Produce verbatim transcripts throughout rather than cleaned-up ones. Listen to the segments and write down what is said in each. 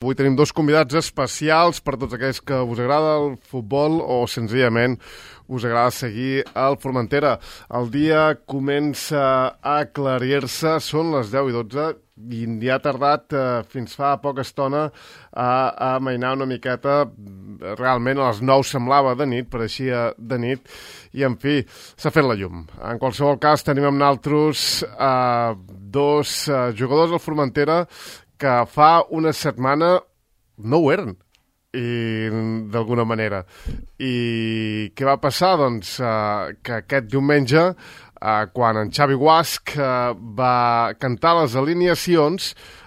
Avui tenim dos convidats especials per tots aquells que us agrada el futbol o senzillament us agrada seguir el Formentera. El dia comença a aclarir-se, són les deu i dotze i ja ha tardat eh, fins fa poca estona a, a amainar una miqueta. Realment a les nou semblava de nit, pareixia de nit i en fi, s'ha fet la llum. En qualsevol cas tenim amb naltros eh, dos eh, jugadors del Formentera que fa una setmana no ho eren, i d'alguna manera. I què va passar? Doncs eh, que aquest diumenge, eh, quan en Xavi Guasch eh, va cantar les alineacions,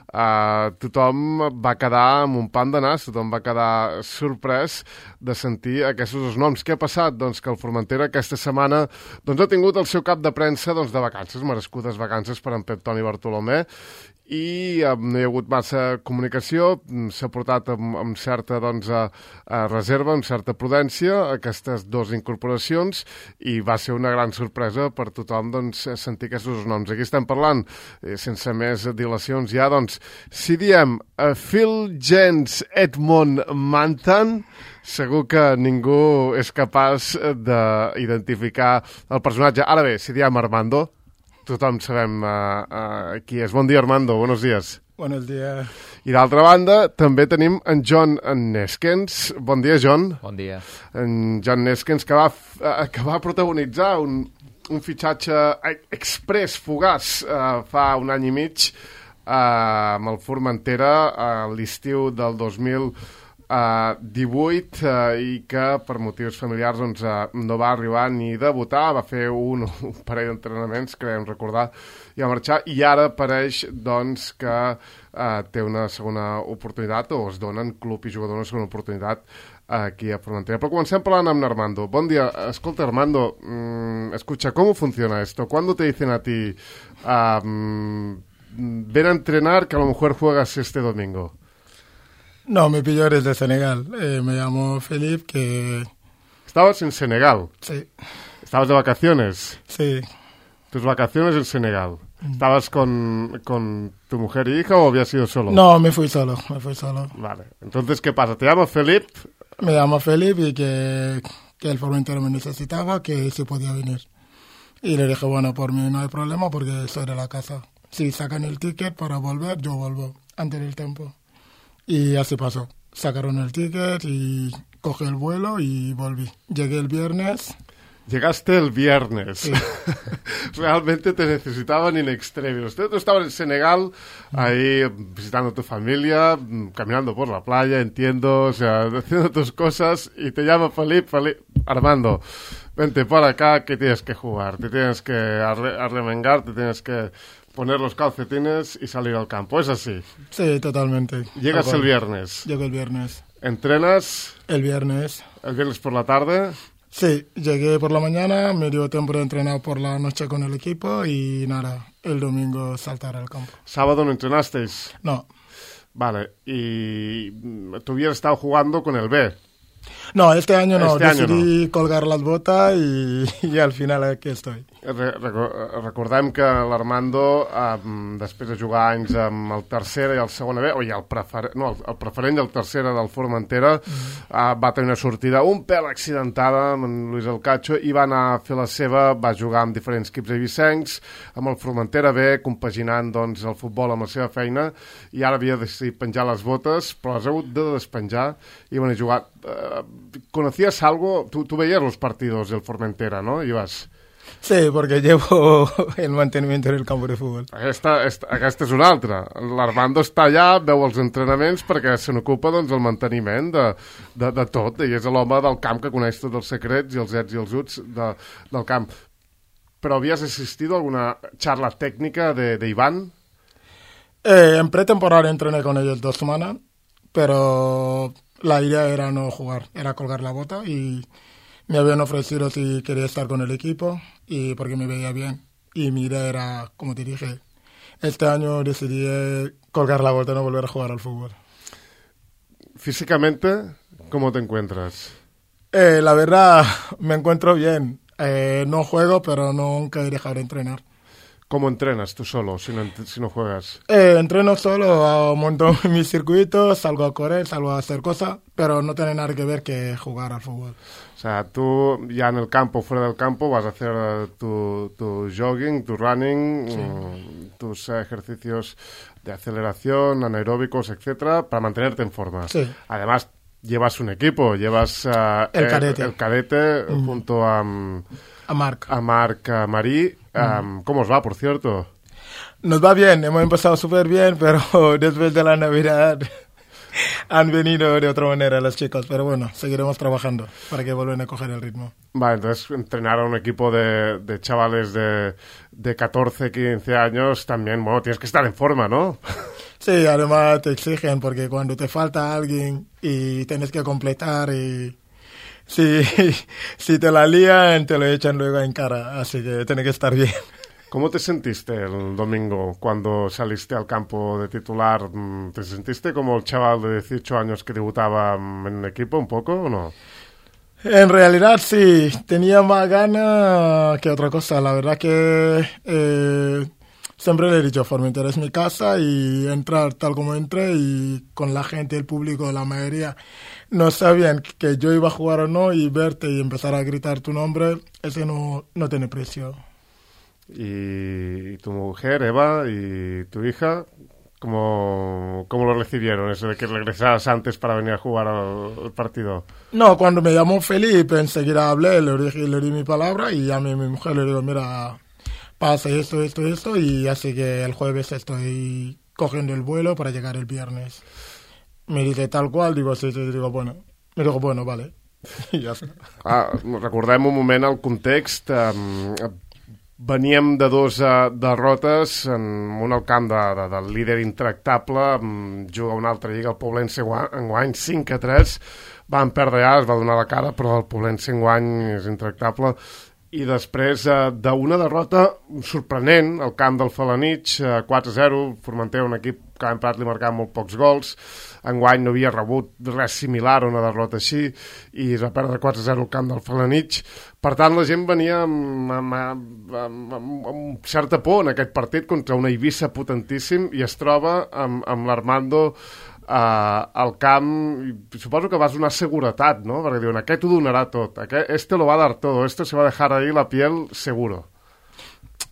eh, tothom va quedar amb un pan de nas, tothom va quedar sorprès de sentir aquests dos noms. Què ha passat? Doncs que el Formentera aquesta setmana doncs, ha tingut el seu cap de premsa doncs, de vacances, merescudes vacances per en Pep Toni Bartolomé, i eh, no hi ha hagut massa comunicació, s'ha portat amb, amb certa doncs, a, a reserva, amb certa prudència aquestes dues incorporacions i va ser una gran sorpresa per tothom doncs, sentir aquests dos noms. Aquí estem parlant, eh, sense més dilacions ja, doncs, si diem eh, Phil Jens Edmond Mantan, segur que ningú és capaç d'identificar el personatge. Ara bé, si diem Armando, tothom sabem uh, uh, qui és. Bon dia, Armando, buenos días. Buenos días. I d'altra banda, també tenim en John Neskens. Bon dia, John. Bon dia. En John Neskens, que va, uh, que va protagonitzar un, un fitxatge express, fugaç, uh, fa un any i mig, uh, amb el Formentera a uh, l'estiu del dos mil Uh, divuit uh, i que per motius familiars doncs, uh, no va arribar ni a debutar, va fer un, un parell d'entrenaments, creiem recordar, i va marxar, i ara pareix doncs, que uh, té una segona oportunitat, o es donen club i jugador una segona oportunitat uh, aquí a Formentera. Però comencem parlant amb Armando. Bon dia. Escolta, Armando, mm, escucha, ¿cómo funciona esto? ¿Cuándo te dicen a ti uh, ven a entrenar que a lo mejor juegas este domingo? No, mi pillo eres de Senegal. Eh, me llamo Felipe, que... ¿Estabas en Senegal? Sí. ¿Estabas de vacaciones? Sí. ¿Tus vacaciones en Senegal? ¿Estabas con, con tu mujer y hija o habías sido solo? No, me fui solo, me fui solo. Vale. Entonces, ¿qué pasa? ¿Te llamo Felipe? Me llamo Felipe y que, que el Formentera me necesitaba, que si podía venir. Y le dije, bueno, por mí no hay problema porque soy de la casa. Si sacan el ticket para volver, yo vuelvo antes del tiempo. Y así pasó. Sacaron el ticket y cogí el vuelo y volví. Llegué el viernes. Llegaste el viernes. Sí. Realmente te necesitaban in extremis. Usted estaba en Senegal, ahí visitando a tu familia, caminando por la playa, entiendo, o sea, haciendo tus cosas, y te llama Felipe, Felipe, Armando, vente para acá que tienes que jugar, te tienes que arre arremengar, te tienes que poner los calcetines y salir al campo. ¿Es así? Sí, totalmente. Llegas el viernes. Llego el viernes. ¿Entrenas? El viernes. ¿El viernes por la tarde? Sí, llegué por la mañana, me dio tiempo de entrenar por la noche con el equipo y nada, el domingo saltar al campo. ¿Sábado no entrenasteis? No. Vale, y tú hubieras estado jugando con el B. No, este año no, este decidí año no. colgar las botas y, y al final aquí estoy. Re recordem que l'Armando, eh, després de jugar anys amb el tercera i el segona B, o ja el, prefer no, el, el preferent i el tercera del Formentera, mm. eh, va tenir una sortida un pèl accidentada amb en Luis El Cacho i va anar a fer la seva, va jugar amb diferents equips eivissencs, amb el Formentera B, compaginant doncs, el futbol amb la seva feina, i ara havia decidit penjar les botes, però les ha hagut de despenjar i van a jugar. Eh, ¿Conocías algo? Tú, tú veías los partidos del Formentera, ¿no? Ibas... Sí, porque llevo el mantenimiento en el campo de futbol. Aquesta, esta, aquesta és una altra. L'Armando està allà, veu els entrenaments perquè se n'ocupa doncs, el manteniment de, de, de tot, i és l'home del camp que coneix tots els secrets i els ets i els uts de, del camp. Però havies assistit a alguna charla técnica de, de Iván? Eh, en pretemporada entrené con ellos dos semanas, pero la idea era no jugar, era colgar la bota y... Me habían ofrecido si quería estar con el equipo y porque me veía bien. Y mi idea era, como te dije, este año decidí colgar la bota y no volver a jugar al fútbol. Físicamente, ¿cómo te encuentras? Eh, la verdad, me encuentro bien. Eh, no juego, pero nunca he dejado de entrenar. ¿Cómo entrenas tú solo si no, si no juegas? Eh, entreno solo, monto mis circuitos, salgo a correr, salgo a hacer cosas, pero no tiene nada que ver que jugar al fútbol. O sea, tú ya en el campo, fuera del campo, vas a hacer tu, tu jogging, tu running, sí. um, tus ejercicios de aceleración, anaeróbicos, etcétera, para mantenerte en forma. Sí. Además, llevas un equipo, llevas uh, el cadete, el, el cadete mm. junto a, a Marc. A Marc a Marí. Um, ¿Cómo os va, por cierto? Nos va bien, hemos empezado súper bien, pero después de la Navidad han venido de otra manera los chicos, pero bueno, seguiremos trabajando para que vuelvan a coger el ritmo. Vale, entonces entrenar a un equipo de, de chavales de, de catorce, quince años también, bueno, tienes que estar en forma, ¿no? Sí, además te exigen porque cuando te falta alguien y tienes que completar y si, si te la lían te lo echan luego en cara, así que tiene que estar bien. ¿Cómo te sentiste el domingo cuando saliste al campo de titular? ¿Te sentiste como el chaval de dieciocho años que debutaba en el equipo un poco o no? En realidad sí, tenía más ganas que otra cosa. La verdad que eh, siempre le he dicho, Formentera es mi casa y entrar tal como entré y con la gente, el público, la mayoría no sabían que yo iba a jugar o no y verte y empezar a gritar tu nombre, ese no, no tiene precio. Y tu mujer, Eva, y tu hija, ¿cómo, cómo lo recibieron? Eso de que regresaras antes para venir a jugar al, al partido. No, cuando me llamó Felipe, enseguida hablé, le dije, le di mi palabra y a mí, mi mujer le digo, mira, pasa esto, esto, esto, y así que el jueves estoy cogiendo el vuelo para llegar el viernes. Me dice tal cual, digo, sí, sí, digo, bueno. Me digo, bueno, vale. I ja està. Ah, recordem un moment el context. Um, veníem de dos uh, derrotes, en un al camp de, de, del líder intractable, um, juga una altra lliga, el Poblense enguany cinc a tres, van perdre ja, es va donar la cara, però el Poblense enguany és intractable. I després uh, d'una derrota sorprenent al camp del Felanitx, uh, quatre a zero, Formentera, un equip que l'any passat li marcava molt pocs gols, enguany no havia rebut res similar a una derrota així, i es va perdre quatre a zero al camp del Felanitx. Per tant, la gent venia amb, amb, amb, amb, amb, amb certa por en aquest partit contra una Eivissa potentíssim i es troba amb, amb l'Armando Uh, al camp, i suposo que vas donar seguretat, ¿no? Perquè diuen, aquest ho donarà tot, aquest, este lo va a dar todo, este se va a dejar ahí la piel seguro.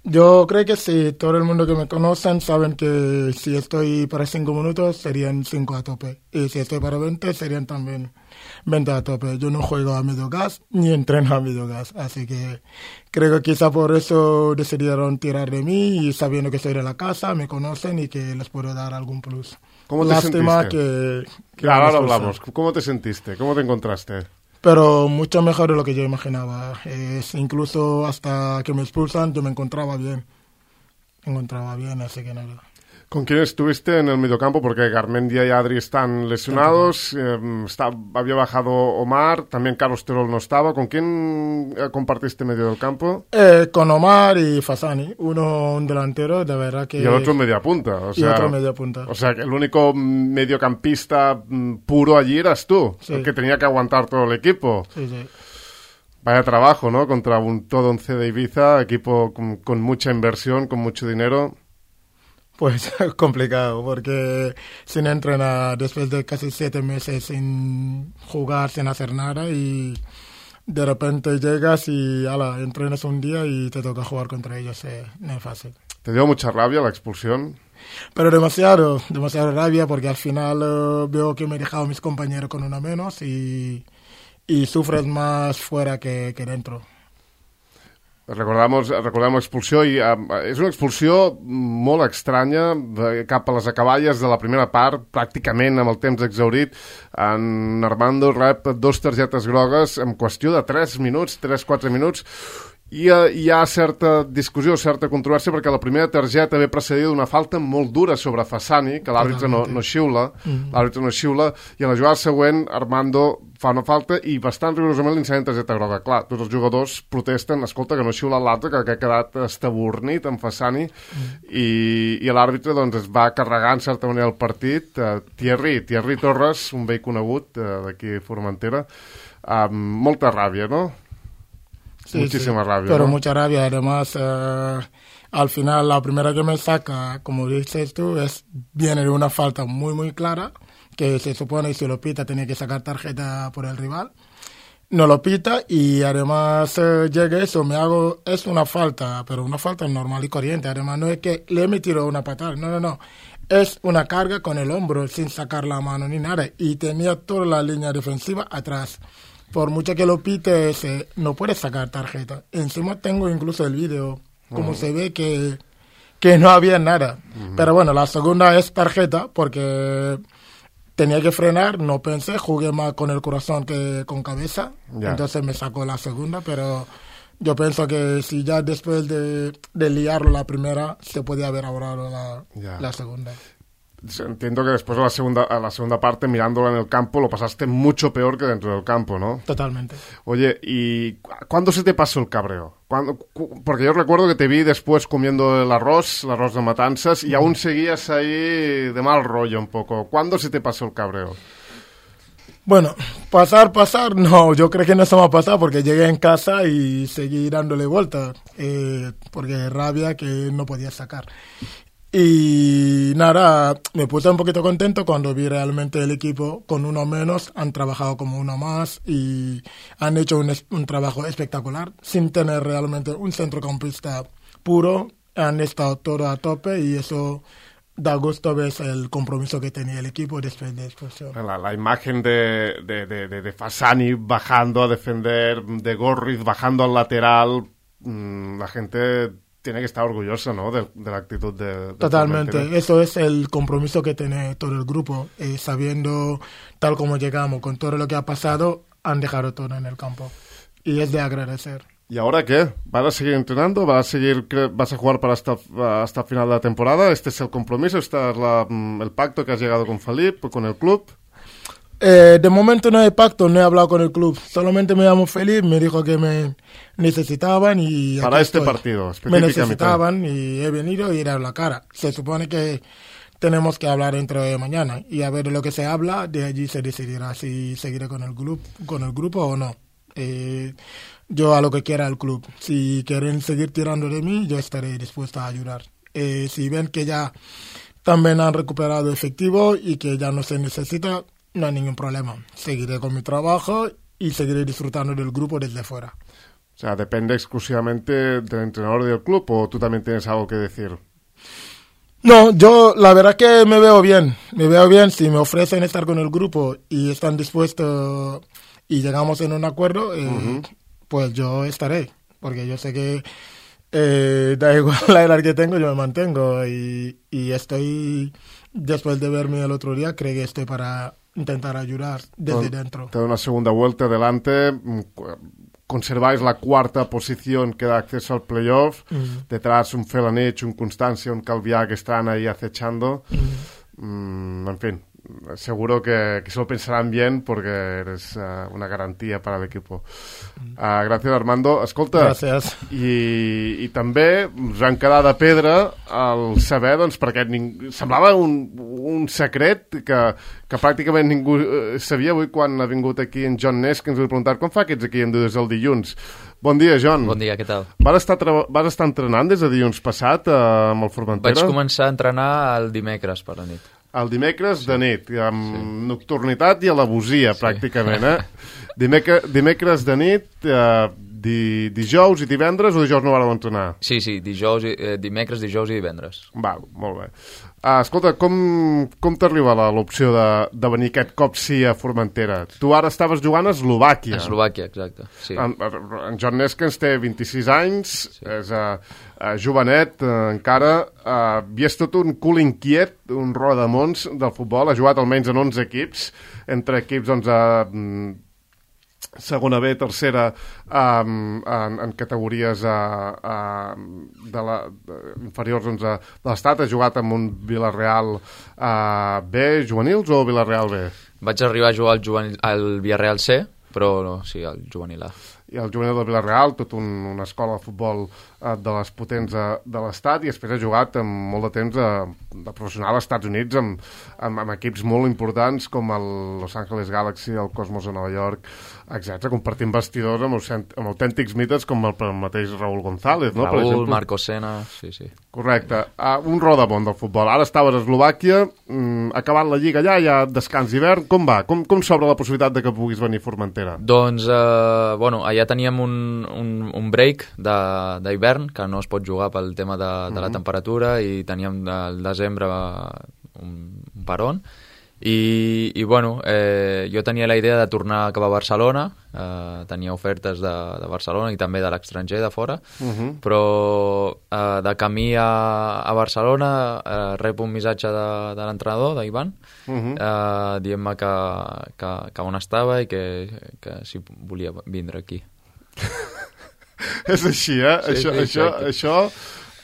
Yo creo que sí, todo el mundo que me conocen saben que si estoy para cinco minutos serían cinco a tope, y si estoy para veinte serían también veinte a tope. Yo no juego a medio gas ni entreno a medio gas, así que creo que quizá por eso decidieron tirar de mí y sabiendo que soy de la casa, me conocen y que les puedo dar algún plus. ¿Cómo te Lástima sentiste? que... que Claro, ahora hablamos. ¿Cómo te sentiste? ¿Cómo te encontraste? Pero mucho mejor de lo que yo imaginaba. Es, incluso hasta que me expulsan yo me encontraba bien. Me encontraba bien, así que nada. ¿Con quién estuviste en el mediocampo? Porque Garmendia y Adri están lesionados, eh, está, había bajado Omar, también Carlos Terol no estaba. ¿Con quién compartiste medio del campo? Eh, con Omar y Fasani, uno un delantero, de verdad que... Y el otro media punta. O sea, y otro media punta. O sea, que el único mediocampista puro allí eras tú, sí. El que tenía que aguantar todo el equipo. Sí, sí. Vaya trabajo, ¿no? Contra un todo once de Ibiza, equipo con, con mucha inversión, con mucho dinero. Pues complicado, porque sin entrenar después de casi siete meses sin jugar, sin hacer nada, y de repente llegas y ala, entrenas un día y te toca jugar contra ellos, eh, no es fácil. ¿Te dio mucha rabia la expulsión? Pero demasiado, demasiado rabia, porque al final uh, veo que me he dejado a mis compañeros con una menos y, y sufres más fuera que, que dentro. Recordamos, recordem l'expulsió i uh, és una expulsió molt estranya cap a les acaballes de la primera part, pràcticament amb el temps exhaurit. En Armando rep dos targetes grogues en qüestió de tres minuts, tres quatre minuts, i uh, hi ha certa discussió, certa controvèrsia, perquè la primera targeta ve precedida d'una falta molt dura sobre Fasani, que l'àrbitre no, no xiula, mm. l'àrbitre no xiula, i a la jugada següent Armando fa una falta i bastant rigorosament li ensenyen targeta groga. Clar, tots els jugadors protesten, escolta, que no xiula l'altre, que, que ha quedat estabornit amb Fasani, mm. i, i l'àrbitre doncs, es va carregar en certa manera el partit. Uh, Thierry, Thierry Torres, un vell conegut uh, d'aquí a Formentera, amb uh, molta ràbia, no? Sí, Muchísima sí, rabia, pero ¿no? mucha rabia. Además, uh, Al final, la primera que me saca, como dices tú, es viene de una falta muy, muy clara, que se supone que si lo pita tenía que sacar tarjeta por el rival. No lo pita y además eh, llega eso, me hago, es una falta, pero una falta normal y corriente. Además, no es que le he metido una patada, no, no, no. Es una carga con el hombro sin sacar la mano ni nada. Y tenía toda la línea defensiva atrás. Por mucho que lo pite, se, no puede sacar tarjeta. Encima tengo incluso el vídeo, como uh-huh. se ve que, que no había nada. Uh-huh. Pero bueno, la segunda es tarjeta porque tenía que frenar, no pensé, jugué más con el corazón que con cabeza, yeah. entonces me sacó la segunda, pero yo pienso que si ya después de, de liarlo la primera, se podía haber ahorrado la, yeah. la segunda. Entiendo que después de la segunda, a la segunda parte, mirándola en el campo, lo pasaste mucho peor que dentro del campo, ¿no? Totalmente. Oye, ¿y cuándo se te pasó el cabreo? ¿Cuándo? Porque yo recuerdo que te vi después comiendo el arroz, el arroz de matanzas, y aún seguías ahí de mal rollo un poco. ¿Cuándo se te pasó el cabreo? Bueno, pasar, pasar, no, yo creo que no se me ha pasado porque llegué en casa y seguí dándole vuelta, eh, porque rabia que no podía sacar. Y nada, me puse un poquito contento cuando vi realmente el equipo con uno menos, han trabajado como uno más y han hecho un, un trabajo espectacular sin tener realmente un centrocampista puro, han estado todo a tope y eso da gusto ver el compromiso que tenía el equipo después de expulsión. La, la imagen de, de, de, de, de Fasani bajando a defender, de Gorriz bajando al lateral, mmm, la gente tiene que estar orgullosa, ¿no?, de, de la actitud de... de Totalmente, Formentera. Eso es el compromiso que tiene todo el grupo, eh, sabiendo tal como llegamos, con todo lo que ha pasado, han dejado todo en el campo y es de agradecer. ¿Y ahora qué? ¿Vas a seguir entrenando? ¿Vas a seguir, vas a jugar para hasta, hasta final de la temporada? ¿Este es el compromiso? ¿Este es la, el pacto que has llegado con Felip, con el club? Eh, de momento no hay pacto, no he hablado con el club. Solamente me llamo Felip, me dijo que me necesitaban y... Para este estoy. partido, específicamente. Me necesitaban y he venido y he dado la cara. Se supone que tenemos que hablar dentro de mañana y a ver de lo que se habla, de allí se decidirá si seguiré con el club, con el grupo o no. Eh, yo a lo que quiera el club. Si quieren seguir tirando de mí, yo estaré dispuesto a ayudar. Eh, si ven que ya también han recuperado efectivo y que ya no se necesita, no hay ningún problema. Seguiré con mi trabajo y seguiré disfrutando del grupo desde fuera. O sea, ¿depende exclusivamente del entrenador del club o tú también tienes algo que decir? No, yo la verdad que me veo bien. Me veo bien si me ofrecen estar con el grupo y están dispuestos y llegamos en un acuerdo, eh, uh-huh. pues yo estaré. Porque yo sé que eh, da igual la edad que tengo, yo me mantengo y, y estoy, después de verme el otro día, creo que estoy para intentar ayudar desde Te, dentro. Te da una segunda vuelta adelante, conserváis la cuarta posición que da acceso al playoff, mm. detrás un Felanich, un Constancia, un Calviá que están ahí acechando, mm. Mm, en fin, seguro que, que se lo pensarán bien porque eres uh, una garantía para el equipo. Uh, gràcies, Armando. Escolta, gràcies. I, i també us han quedat de pedra al saber, doncs, perquè ning... semblava un, un secret que, que pràcticament ningú uh, sabia. Avui quan ha vingut aquí en John Ness, que ens ha preguntat com fa que ets aquí en des del dilluns. Bon dia, John. Bon dia, què tal? Vas estar, tra... vas estar entrenant des de dilluns passat uh, amb el Formentera? Vaig començar a entrenar el dimecres per la nit. El dimecres sí. de nit, amb sí. nocturnitat i alevosia, sí. pràcticament, eh? Dimecres, dimecres de nit, eh, di, dijous i divendres, o dijous no vareu entrenar? Sí, sí, dijous, eh, dimecres, dijous i divendres. Val, molt bé. Ah, escolta, com, com t'arriba l'opció de, de venir aquest cop sí a Formentera? Tu ara estaves jugant a Eslovàquia. A Eslovàquia, exacte, sí. En, en John Neskens té vint-i-sis anys, sí. és uh, uh, jovenet uh, encara, uh, i és tot un cul inquiet, un rodamons del futbol, ha jugat almenys en onze equips, entre equips, doncs, uh, segona B, tercera, um, en, en categories uh, uh, de la, de, inferiors doncs, uh, de l'Estat. Ha jugat amb un Villarreal uh, B, juvenils o Villarreal B? Vaig arribar a jugar al, juvenil, al Villarreal C, però no, sí, al juvenil A. i el juvenil del Villarreal, tot un, una escola de futbol eh, de les potents de, de l'estat, i després ha jugat amb molt de temps de, de professional als Estats Units amb, amb, amb equips molt importants com el Los Angeles Galaxy, el Cosmos de Nova York, etcètera, compartint vestidors amb, amb autèntics mites com el, el mateix Raúl González, no? Raúl, per exemple. Marco Sena, sí, sí. Correcte. Uh, un rodamont del futbol. Ara estaves a Eslovàquia, mm, acabant la Lliga allà, hi ha descans d'hivern. Com va? Com, com s'obre la possibilitat de que puguis venir a Formentera? Doncs, eh, bueno, allà teníem un, un, un break d'hivern, que no es pot jugar pel tema de, de la temperatura, i teníem al desembre un, un peron. I, i bueno, eh, jo tenia la idea de tornar cap a Barcelona, eh, tenia ofertes de, de Barcelona i també de l'estranger, de fora, uh -huh. però eh, de camí a, a Barcelona eh, rep un missatge de, de l'entrenador, d'Ivan, uh -huh. eh, dient-me que, que, que on estava i que, que si volia vindre aquí. És així, eh? Sí, això, sí, això, això,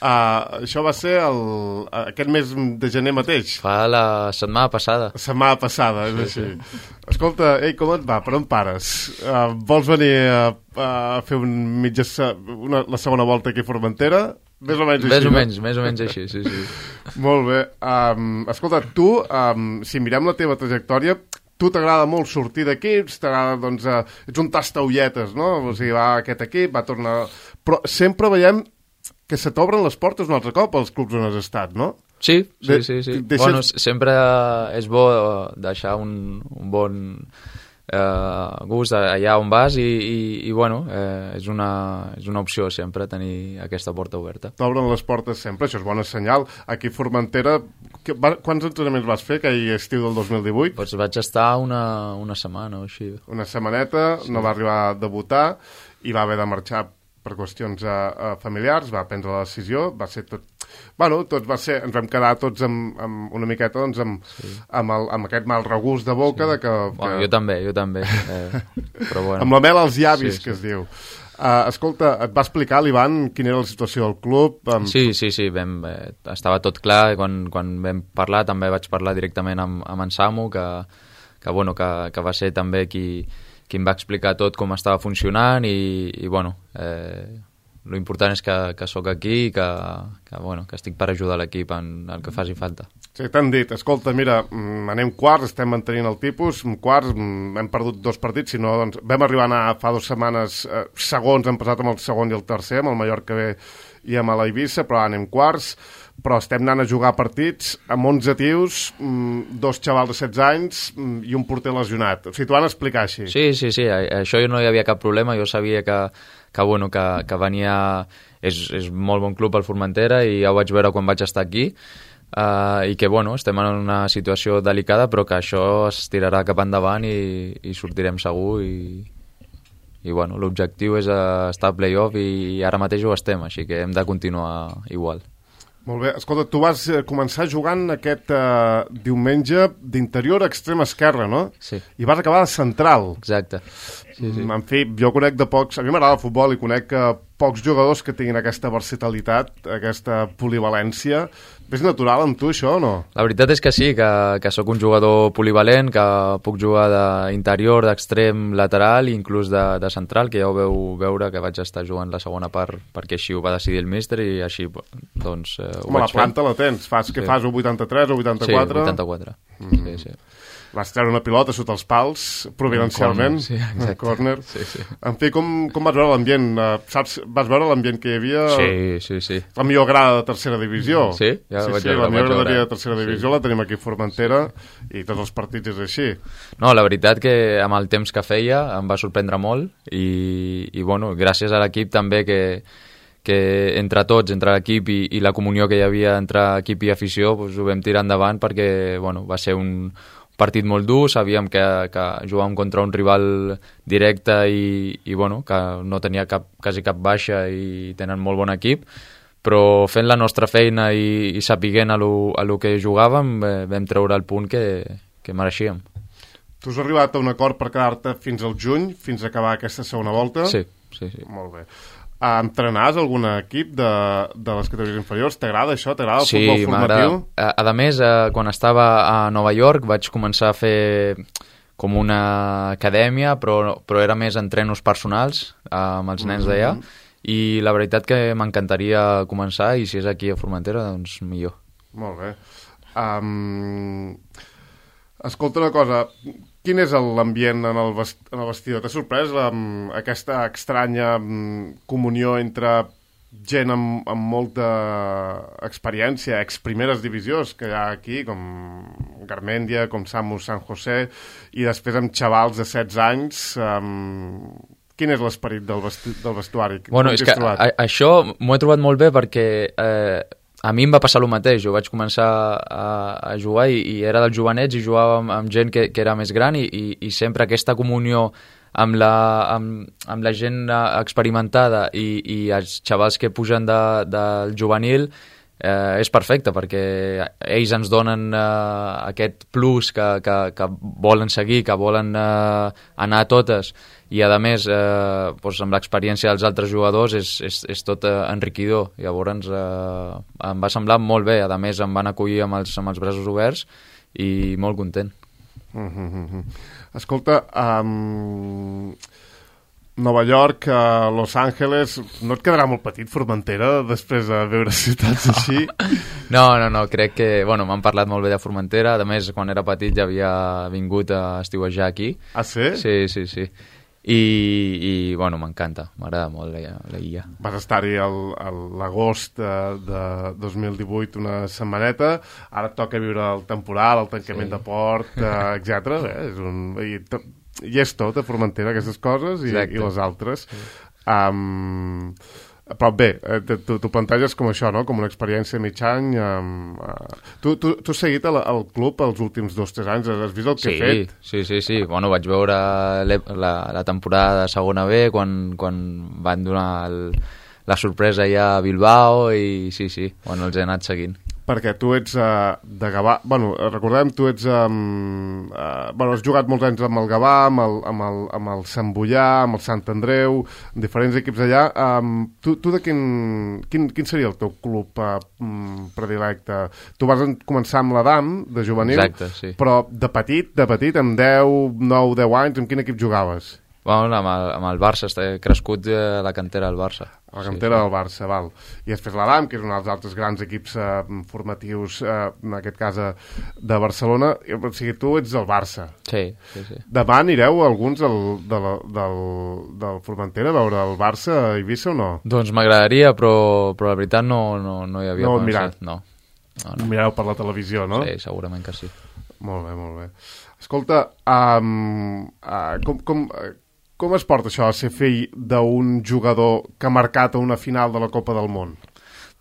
uh, això va ser el, aquest mes de gener mateix. Fa la setmana passada. La setmana passada, és sí, així. Sí. Escolta, ei, com et va? Per on pares? Uh, vols venir a, a fer un mitja, una, la segona volta aquí a Formentera? Més o menys així, més o no? menys, més o menys així, sí, sí. Molt bé. Um, escolta, tu, um, si mirem la teva trajectòria, tu t'agrada molt sortir d'equips, t'agrada, doncs, uh, ets un tastaulletes, no? O sigui, va aquest equip, va tornar... Però sempre veiem que se t'obren les portes un altre cop als clubs on has estat, no? Sí, sí, De, sí. sí. Deixes... Bueno, sempre és bo deixar un, un bon eh, gust allà on vas i, i, i bueno, eh, és, una, és una opció sempre tenir aquesta porta oberta. T'obren les portes sempre, això és bona senyal. Aquí a Formentera, que, va, quants entrenaments vas fer aquell estiu del dos mil divuit? Doncs vaig estar una, una setmana o així. Una setmaneta, sí. No va arribar a debutar i va haver de marxar per qüestions uh, uh, familiars, va prendre la decisió, va ser tot... Bueno, tots va ser, ens vam quedar tots amb, amb una miqueta, doncs, amb, sí. amb, el, amb aquest mal regust de boca sí. de que... Bueno, que... jo també, jo també. Eh, però bueno. Amb la mel als llavis, sí, que sí. es diu. Uh, escolta, et va explicar l'Ivan quina era la situació del club? Amb... Sí, sí, sí, vam, eh, estava tot clar, quan, quan vam parlar també vaig parlar directament amb, amb en Samu, que, que, bueno, que, que va ser també qui... qui em va explicar tot com estava funcionant i, i bueno, eh, lo important és que, que sóc aquí i que, que, bueno, que estic per ajudar l'equip en el que faci falta. Sí, t'han dit, escolta, mira, anem quarts, estem mantenint el tipus, quarts, hem perdut dos partits, si no, doncs, vam arribar a anar fa dues setmanes eh, segons, hem passat amb el segon i el tercer, amb el Mallorca B i amb l'Eivissa, però anem quarts, però estem anant a jugar partits amb onze tios, dos xavals de setze anys i un porter lesionat. O sigui, t'ho van explicar així. Sí, sí, sí, això no hi havia cap problema, jo sabia que, que, bueno, que, que venia... És, és molt bon club al Formentera i ja ho vaig veure quan vaig estar aquí, uh, i que, bueno, estem en una situació delicada, però que això es tirarà cap endavant i, i sortirem segur i... i bueno, l'objectiu és estar a play-off i ara mateix ho estem, així que hem de continuar igual. Molt bé. Escolta, tu vas començar jugant aquest uh, diumenge d'interior a extrema esquerra, no? Sí. I vas acabar de central. Exacte. Sí, sí. En fi, jo conec de pocs... A mi m'agrada el futbol i conec uh, pocs jugadors que tinguin aquesta versatilitat, aquesta polivalència. És natural amb tu, això, o no? La veritat és que sí, que, que sóc un jugador polivalent, que puc jugar d'interior, d'extrem, lateral i inclús de, de central, que ja ho veu veure que vaig estar jugant la segona part perquè així ho va decidir el míster i així, doncs, eh, ho Home, vaig la planta fent. la tens. Fas, Sí. Què fas, o vuitanta-tres o vuitanta-quatre? Sí, vuitanta-quatre. Mm. Sí, sí. Vas treure una pilota sota els pals, providencialment. Sí, exacte. Corner. Sí, sí. En fi, com, com vas veure l'ambient? Uh, saps, vas veure l'ambient que hi havia? Sí, sí, sí. La millor grada de tercera divisió. Sí? Ja sí, vaig sí, veure, la millor vaig veure. graderia de tercera divisió Sí. la tenim aquí a Formentera sí. I tots els partits és així. No, la veritat que amb el temps que feia em va sorprendre molt i, i bueno, gràcies a l'equip també que, que entre tots, entre l'equip i, i la comunió que hi havia entre equip i afició, doncs ho vam tirar endavant perquè bueno, va ser un partit molt dur, sabíem que, que jugàvem contra un rival directe i, i bueno, que no tenia cap, quasi cap baixa i tenen molt bon equip, però fent la nostra feina i, i sapiguent a lo, a lo que jugàvem eh, vam treure el punt que, que mereixíem. Tu has arribat a un acord per quedar-te fins al juny, fins a acabar aquesta segona volta? Sí, sí, sí. Molt bé. Entrenars algun equip de, de les categories inferiors? T'agrada això? T'agrada el sí, futbol formatiu? A, a més, eh, quan estava a Nova York vaig començar a fer com una acadèmia, però, però era més entrenos personals eh, amb els nens d'allà, i la veritat que m'encantaria començar, i si és aquí a Formentera, doncs millor. Molt bé. Um, escolta una cosa, quin és l'ambient en el, vest, en el vestidor? T'ha sorprès um, aquesta estranya um, comunió entre gent amb, amb molta experiència, ex-primeres divisions que hi ha aquí, com Garmendia, com Samu San José, i després amb xavals de setze anys. Um, quin és l'esperit del, vestu del vestuari? Bueno, és que a, això m'ho he trobat molt bé perquè eh, a mi em va passar el mateix. Jo vaig començar a, a jugar i, i era dels jovenets i jugava amb, amb gent que, que era més gran i, i, i sempre aquesta comunió amb la, amb, amb la gent experimentada i, i els xavals que pugen de, del juvenil eh, és perfecte, perquè ells ens donen eh, aquest plus que, que, que volen seguir, que volen eh, anar a totes, i a més eh, doncs amb l'experiència dels altres jugadors és, és, és tot eh, enriquidor. Llavors eh, em va semblar molt bé, a més em van acollir amb els, amb els braços oberts i molt content. Mm -hmm. Escolta, um, Nova York, uh, Los Angeles, no et quedarà molt petit Formentera després de veure ciutats així? No, no, no, crec que, bueno, m'han parlat molt bé de Formentera, a més quan era petit ja havia vingut a estiuejar aquí. Ah, sí? Sí, sí, sí. I, i bueno, m'encanta, m'agrada molt la, la illa. Vas estar-hi l'agost de, de dos mil divuit una setmaneta, ara et toca viure el temporal, el tancament sí. de port, eh, etcètera. Eh? És un, i, I és tot a Formentera, aquestes coses, i, i les altres. Sí. Um, però bé, t'ho planteges com això, no? Com una experiència de mig any. Um, uh, tu, tu, tu has seguit el, el club els últims dos o tres anys? Has vist el que sí, he fet? Sí, sí, sí. Bueno, vaig veure la, la temporada de segona B quan, quan van donar el, la sorpresa ja a Bilbao i sí, sí, bueno, els he anat seguint. Perquè tu ets uh, de Gavà... Bueno, recordem, tu ets... Um, uh, bueno, has jugat molts anys amb el Gavà, amb el, amb el, amb el Sant Boià, amb el Sant Andreu, diferents equips allà. Um, tu, tu de quin, quin... Quin seria el teu club uh, predilecte? Tu vas començar amb l'Adam, de juvenil, exacte, sí. Però de petit, de petit, amb deu, nou, deu anys, amb quin equip jugaves? Bueno, amb el, amb el Barça, he crescut a la cantera del Barça. A la cantera sí, del Barça, val. I després l'Adam, que és un dels altres grans equips eh, formatius, eh, en aquest cas eh, de Barcelona. O sigui, tu ets del Barça. Sí, sí, sí. Demà anireu alguns del, del, del, del Formentera a veure el Barça a Eivissa o no? Doncs m'agradaria, però, però la veritat no, no, no hi havia no, pensat. No, no, no. Mireu per la televisió, no? Sí, segurament que sí. Molt bé, molt bé. Escolta, um, uh, com... com uh, Com es porta això a ser fill d'un jugador que ha marcat a una final de la Copa del Món?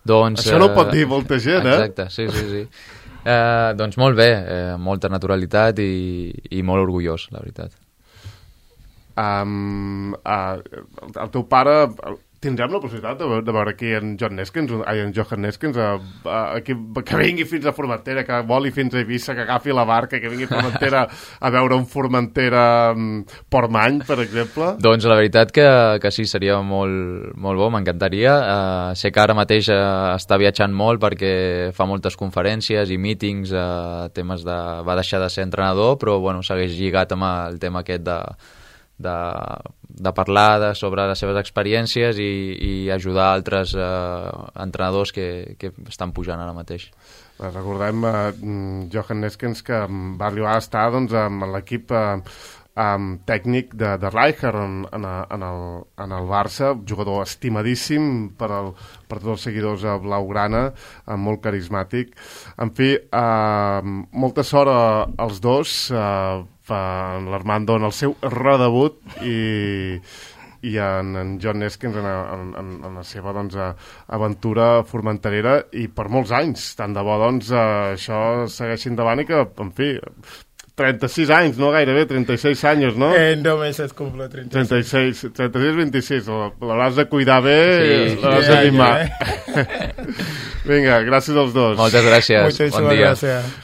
Doncs, això no ho pot dir molta gent, eh? Exacte, sí, sí, sí. eh, doncs molt bé, eh, molta naturalitat i, i molt orgullós, la veritat. Um, uh, el teu pare... Tindrem la possibilitat de veure, de veure aquí en John Neskens, ai, en Johan Neskens, a, a, a, que, que vingui fins a Formentera, que voli fins a Eivissa, que agafi la barca, que vingui a Formentera a veure un Formentera um, Portmany, per exemple? Doncs la veritat que, que sí, seria molt, molt bo, m'encantaria. Uh, sé que ara mateix uh, està viatjant molt perquè fa moltes conferències i mítings, uh, temes de... va deixar de ser entrenador, però bueno, segueix lligat amb el tema aquest de... De, de parlar de, sobre les seves experiències i, i ajudar altres eh, entrenadors que, que estan pujant ara mateix. Recordem uh, Johan Neskens, que va arribar a estar doncs, amb l'equip uh, um, tècnic de, de Rijkaard en, en, en, el, en el Barça, jugador estimadíssim per, el, per tots els seguidors a Blaugrana, uh, molt carismàtic. En fi, uh, molta sort als dos, uh, en l'Armando en el seu redebut i, i en, en John Neskens en, en, en la seva doncs, aventura formenterera i per molts anys. Tant de bo doncs, això segueixi endavant i que, en fi, trenta-sis anys, no gairebé, trenta-seis anys, no? En dos mesos cumplo trenta-seis. trenta-seis, trenta-sis, vint-i-sis. L'hauràs de cuidar bé, sí, l'hauràs ja, de mimar. Ja, eh? Vinga, gràcies als dos. Moltes gràcies. Moltes bon dia. Gràcies.